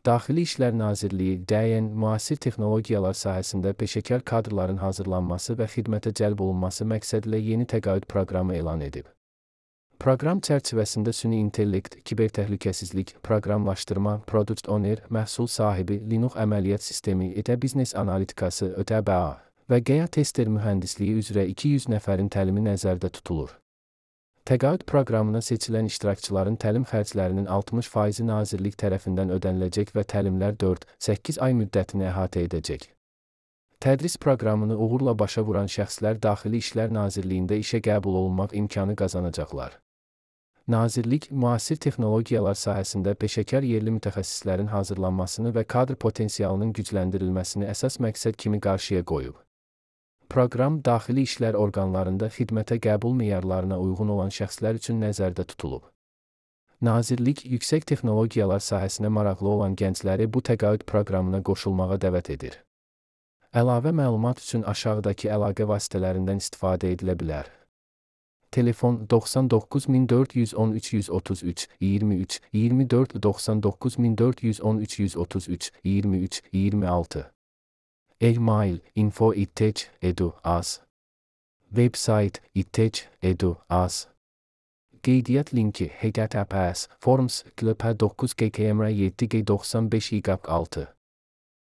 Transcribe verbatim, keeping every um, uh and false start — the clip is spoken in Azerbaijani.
Daxili İşlər Nazirliyi D Y N müasir texnologiyalar sahəsində peşəkar kadrların hazırlanması və xidmətə cəlb olunması məqsədilə yeni təqaüd proqramı elan edib. Proqram çərçivəsində süni intellekt, kibertəhlükəsizlik, proqramlaşdırma, product owner, məhsul sahibi, Linux əməliyyat sistemi, E T biznes analitikası, Ö T B A və G A tester mühəndisliyi üzrə iki yüz nəfərin təlimi nəzərdə tutulur. Təqaüd proqramına seçilən iştirakçıların təlim xərclərinin altmış faizi Nazirlik tərəfindən ödəniləcək və təlimlər dörd-səkkiz ay müddətini əhatə edəcək. Tədris proqramını uğurla başa vuran şəxslər Daxili İşlər Nazirliyində işə qəbul olunmaq imkanı qazanacaqlar. Nazirlik, müasir texnologiyalar sahəsində peşəkar yerli mütəxəssislərin hazırlanmasını və kadr potensialının gücləndirilməsini əsas məqsəd kimi qarşıya qoyub. Proqram daxili işlər orqanlarında xidmətə qəbul meyarlarına uyğun olan şəxslər üçün nəzərdə tutulub. Nazirlik, yüksək texnologiyalar sahəsinə maraqlı olan gəncləri bu təqaüd proqramına qoşulmağa dəvət edir. Əlavə məlumat üçün aşağıdakı əlaqə vasitələrindən istifadə edilə bilər. Telefon doxsan doqquz min dörd yüz on üç yüz otuz üç iyirmi üç iyirmi dörd doxsan doqquz min dörd yüz on üç yüz otuz üç iyirmi üç iyirmi altı. E-mail info ittech edu az. Website ittech edu az. Qeydiyyat linki H T T P S forms klp dokuz G K M R yeddi G doxsan beş Y altı.